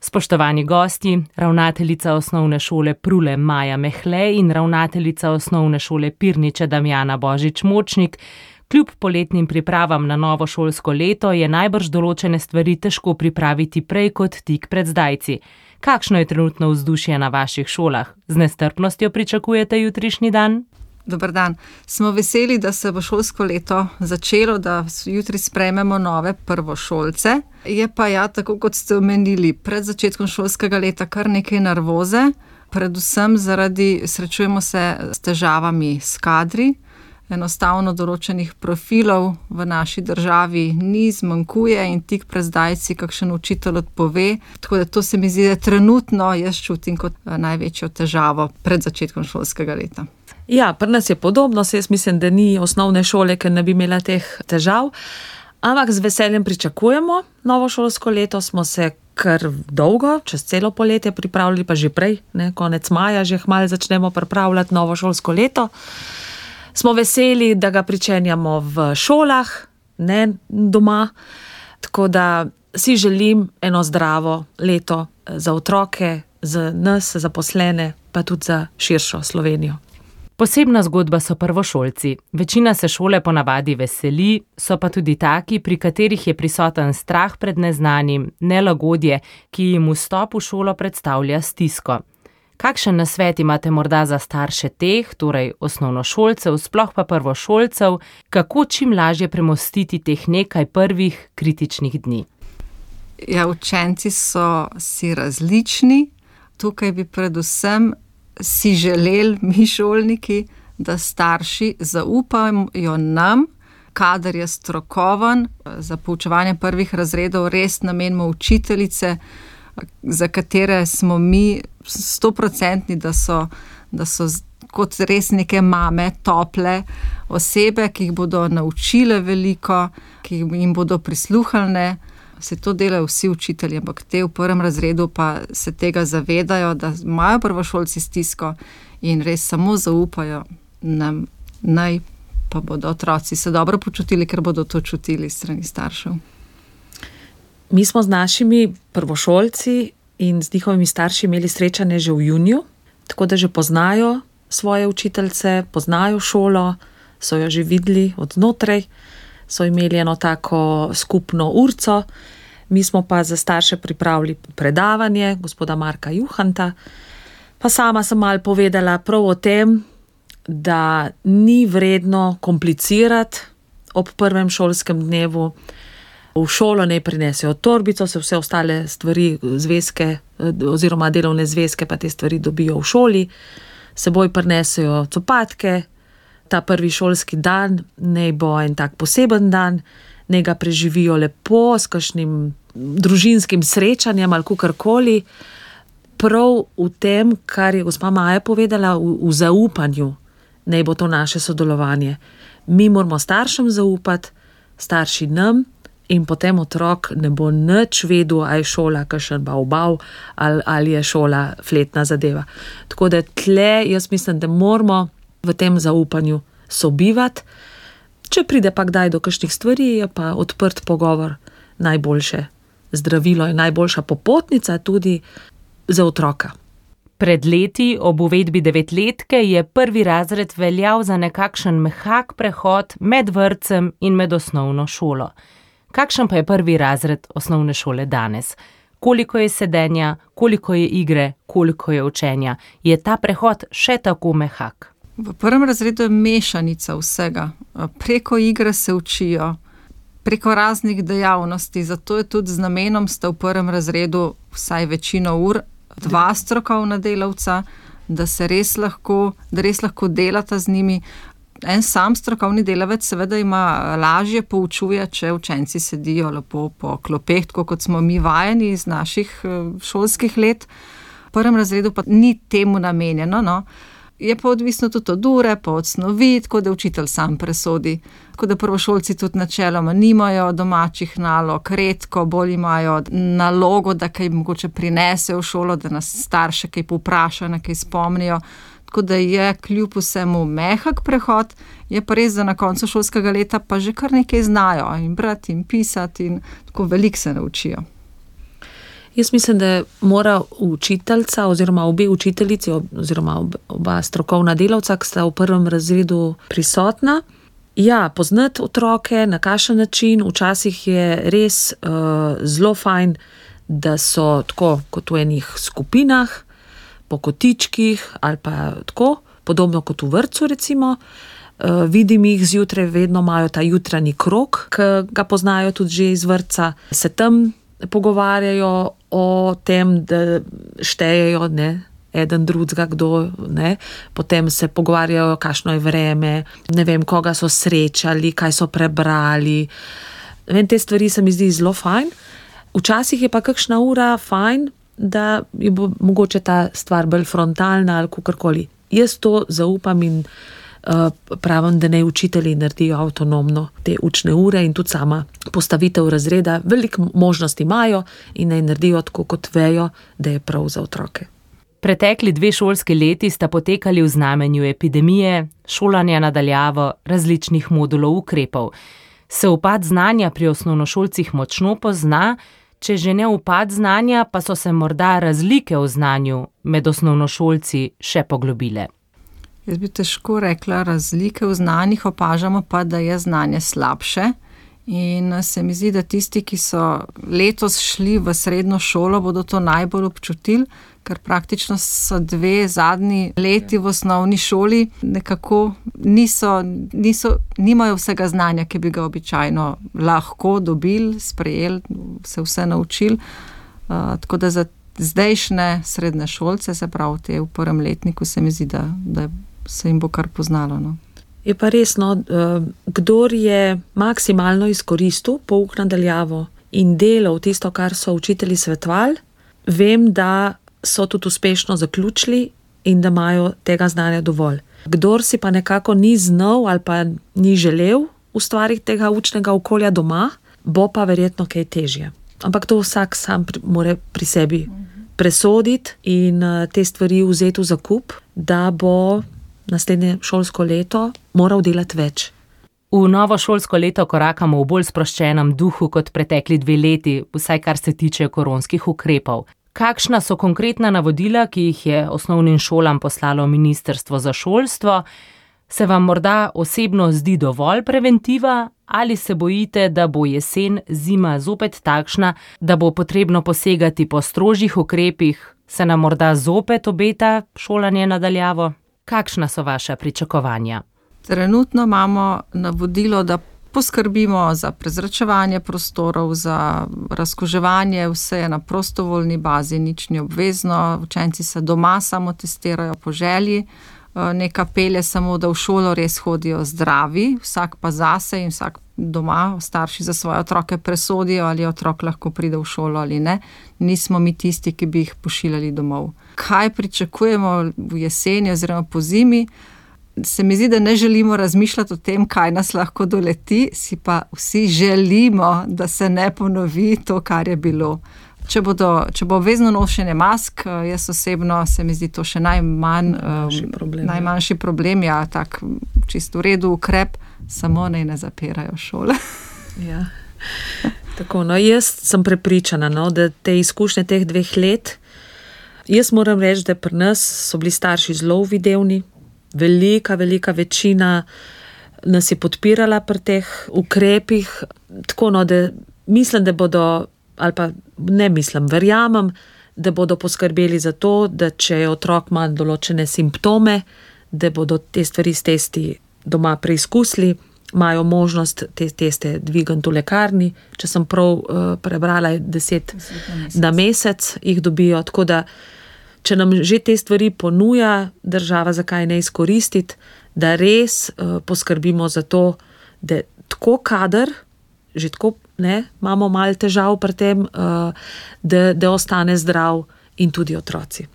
Spoštovani gosti, ravnateljica osnovne šole Prule Maja Mehle in ravnateljica osnovne šole Pirniče Damjana Božič-Močnik, kljub poletnim pripravam na novo šolsko leto je najbrž določene stvari težko pripraviti prej kot tik pred zdajci. Kakšno je trenutno vzdušje na vaših šolah? Z nestrpnostjo pričakujete jutrišnji dan? Dober dan. Smo veseli, da se bo šolsko leto začelo, da jutri sprejmemo nove prvošolce. Je pa tako kot ste omenili, pred začetkom šolskega leta kar nekaj nervoze, predvsem srečujemo se s težavami s kadri. Enostavno določenih profilov v naši državi ni, zmanjkuje in tik pred zdajci kakšen učitelj odpove. Tako da to se mi zdi, da trenutno jaz čutim kot največjo težavo pred začetkom šolskega leta. Ja, pri nas je podobno, jaz mislim, da ni osnovne šole, ker ne bi imela teh težav. Ampak z veseljem pričakujemo novo šolsko leto, smo se kar dolgo, čez celo poletje pripravljali, pa že prej, konec maja, že kmalu začnemo pripravljati novo šolsko leto. Smo veseli, da ga pričenjamo v šolah, ne doma, tako da si želim eno zdravo leto za otroke, za nas, zaposlene, pa tudi za širšo Slovenijo. Posebna zgodba so prvošolci. Večina se šole ponavadi veseli, so pa tudi taki, pri katerih je prisoten strah pred neznanim, nelagodje, ki jim vstop v šolo predstavlja stisko. Kakšen nasvet imate morda za starše teh, torej osnovnošolcev, sploh pa prvošolcev, kako čim lažje premostiti teh nekaj prvih kritičnih dni? Ja, učenci so si različni. Tukaj bi predvsem si želeli, mi šolniki, da starši zaupajo nam, kadar je strokoven, za poučevanje prvih razredov res namenimo učiteljice, za katere smo mi 100%, da so kot res neke mame, tople osebe, ki jih bodo naučile veliko, ki jim bodo prisluhnile. Se to delajo vsi učitelji, ampak te v prvem razredu pa se tega zavedajo, da imajo prvošolci stisko in res samo zaupajo nam, naj pa bodo otroci se dobro počutili, ker bodo to čutili strani staršev. Mi smo z našimi prvošolci in z njihovimi starši imeli srečanje že v juniju, tako da že poznajo svoje učiteljice, poznajo šolo, so jo že videli od znotraj, so imeli eno tako skupno urco. Mi smo pa za starše pripravili predavanje gospoda Marka Juhanta, pa sama sem malo povedala prav o tem, da ni vredno komplicirati ob prvem šolskem dnevu. V šolo ne prinesejo torbico, se vse ostale stvari, zvezke oziroma delovne zvezke, pa te stvari dobijo v šoli. Seboj prinesejo copatke. Ta prvi šolski dan naj bo en tak poseben dan, naj ga preživijo lepo s kakšnim družinskim srečanjem ali kakorkoli. Prav v tem, kar je gospa Maja povedala, v zaupanju naj bo to naše sodelovanje. Mi moramo staršem zaupati, starši nam, in potem otrok ne bo nič vedel, ali je šola kakšen bav ali je šola fletna zadeva. Tako da tle jaz mislim, da moramo v tem zaupanju sobivati. Če pride pa kdaj do kakšnih stvari, je pa odprt pogovor najboljše zdravilo in najboljša popotnica tudi za otroka. Pred leti ob uvedbi 9-letke je prvi razred veljal za nekakšen mehak prehod med vrtcem in med osnovno šolo. Kakšen pa je prvi razred osnovne šole danes? Koliko je sedenja, koliko je igre, koliko je učenja? Je ta prehod še tako mehak? V prvem razredu je mešanica vsega. Preko igre se učijo, preko raznih dejavnosti, zato je tudi z namenom sta v prvem razredu vsaj večino ur 2 strokovna delavca, da res lahko delata z njimi. En sam strokovni delavec seveda ima lažje poučuje, če učenci sedijo lepo po klopeh, tako kot smo mi vajeni iz naših šolskih let. V prvem razredu pa ni temu namenjeno, no. Je pa odvisno tudi od ure, pa od snovi, tako da učitelj sam presodi. Tako da prvošolci tudi načeloma nimajo domačih nalog, redko bolj imajo nalogo, da kaj mogoče prinesejo v šolo, da nas starše kaj povprašajo, na kaj spomnijo. Tako da je kljub vsemu mehak prehod, je pa res, da na koncu šolskega leta pa že kar nekaj znajo in brati in pisati in tako veliko se naučijo. Jaz mislim, da mora učiteljica oziroma obe učiteljici oziroma oba strokovna delavca, ki sta v prvem razredu prisotna, poznati otroke, na kakšen način. Včasih je res zelo fajn, da so tako kot v enih skupinah, po kotičkih ali pa tako, podobno kot v vrtcu recimo. Vidim jih zjutraj, vedno imajo ta jutranji krog, ki ga poznajo tudi že iz vrtca. Se tam pogovarjajo o tem, da štejejo, ne, eden drugega, kdo, ne. Potem se pogovarjajo, kakšno je vreme, ne vem, koga so srečali, kaj so prebrali. Vem, te stvari se mi zdi zelo fajn. Včasih je pa kakšna ura fajn, da je bo mogoče ta stvar bolj frontalna ali kakorkoli. Jaz to zaupam in pravim, da naj učitelji naredijo avtonomno te učne ure in tudi sama postavitev razreda. Veliko možnosti imajo in naj naredijo tako, kot vejo, da je prav za otroke. Pretekli 2 šolski leti sta potekali v znamenju epidemije, šolanja na daljavo, različnih modulov ukrepov. Se upad znanja pri osnovnošolcih močno pozna, če že ne upad znanja, pa so se morda razlike v znanju med osnovnošolci še poglobile. Jaz bi težko rekla, razlike v znanjih, opažamo pa, da je znanje slabše. In se mi zdi, da tisti, ki so letos šli v srednjo šolo, bodo to najbolj občutili, ker praktično so 2 zadnji leti v osnovni šoli nekako nimajo vsega znanja, ki bi ga običajno lahko dobili, sprejeli, se vse naučili. Tako da za zdajšnje srednje šolce, se pravi te v prvem letniku, se mi zdi, da se jim bo kar poznalo, no. Je pa resno, kdor je maksimalno izkoristil pouk na daljavo in delal tisto, kar so učitelji svetovali, vem, da so tudi uspešno zaključili in da imajo tega znanja dovolj. Kdor si pa nekako ni znal ali pa ni želel ustvariti tega učnega okolja doma, bo pa verjetno kaj težje. Ampak to vsak sam mora pri sebi presoditi in te stvari vzeti v zakup, da bo naslednje šolsko leto moral delati več. V novo šolsko leto korakamo v bolj sproščenem duhu kot pretekli 2 leti, vsaj kar se tiče koronskih ukrepov. Kakšna so konkretna navodila, ki jih je osnovnim šolam poslalo Ministrstvo za šolstvo? Se vam morda osebno zdi dovolj preventiva ali se bojite, da bo jesen, zima zopet takšna, da bo potrebno posegati po strožjih ukrepih? Se nam morda zopet obeta šolanje na daljavo? Kakšna so vaša pričakovanja? Trenutno imamo navodilo, da poskrbimo za prezračevanje prostorov, za razkuževanje, vse je na prostovoljni bazi, nič ni obvezno, učenci se doma samo testirajo po želji, neka pelje samo, da v šolo res hodijo zdravi, vsak pa zase in vsak doma, starši za svoje otroke presodijo, ali otrok lahko pride v šolo ali ne. Nismo mi tisti, ki bi jih pošiljali domov. Kaj pričakujemo v jeseni oziroma po zimi? Se mi zdi, da ne želimo razmišljati o tem, kaj nas lahko doleti, si pa vsi želimo, da se ne ponovi to, kar je bilo. Če bo obvezno nošenje mask, jaz osebno se mi zdi to še najmanjši problem, tak čisto v redu ukrep, samo naj ne zapirajo šole. Ja. Tako, jaz sem prepričana, da te izkušnje teh 2 let, jaz moram reči, da pri nas so bili starši zelo uvidevni, velika večina nas je podpirala pri teh ukrepih, tako da mislim, da bodo, ali pa ne mislim, verjamem, da bodo poskrbeli za to, da če otrok ima določene simptome, da bodo te stvari s testi doma preizkusili, imajo možnost te teste dvigati v lekarni, če sem prav prebrala, 10 na mesec jih dobijo, tako da če nam že te stvari ponuja država, zakaj ne izkoristiti, da res poskrbimo za to, da tako kader, že tako imamo malo težav pri tem, da ostane zdrav in tudi otroci.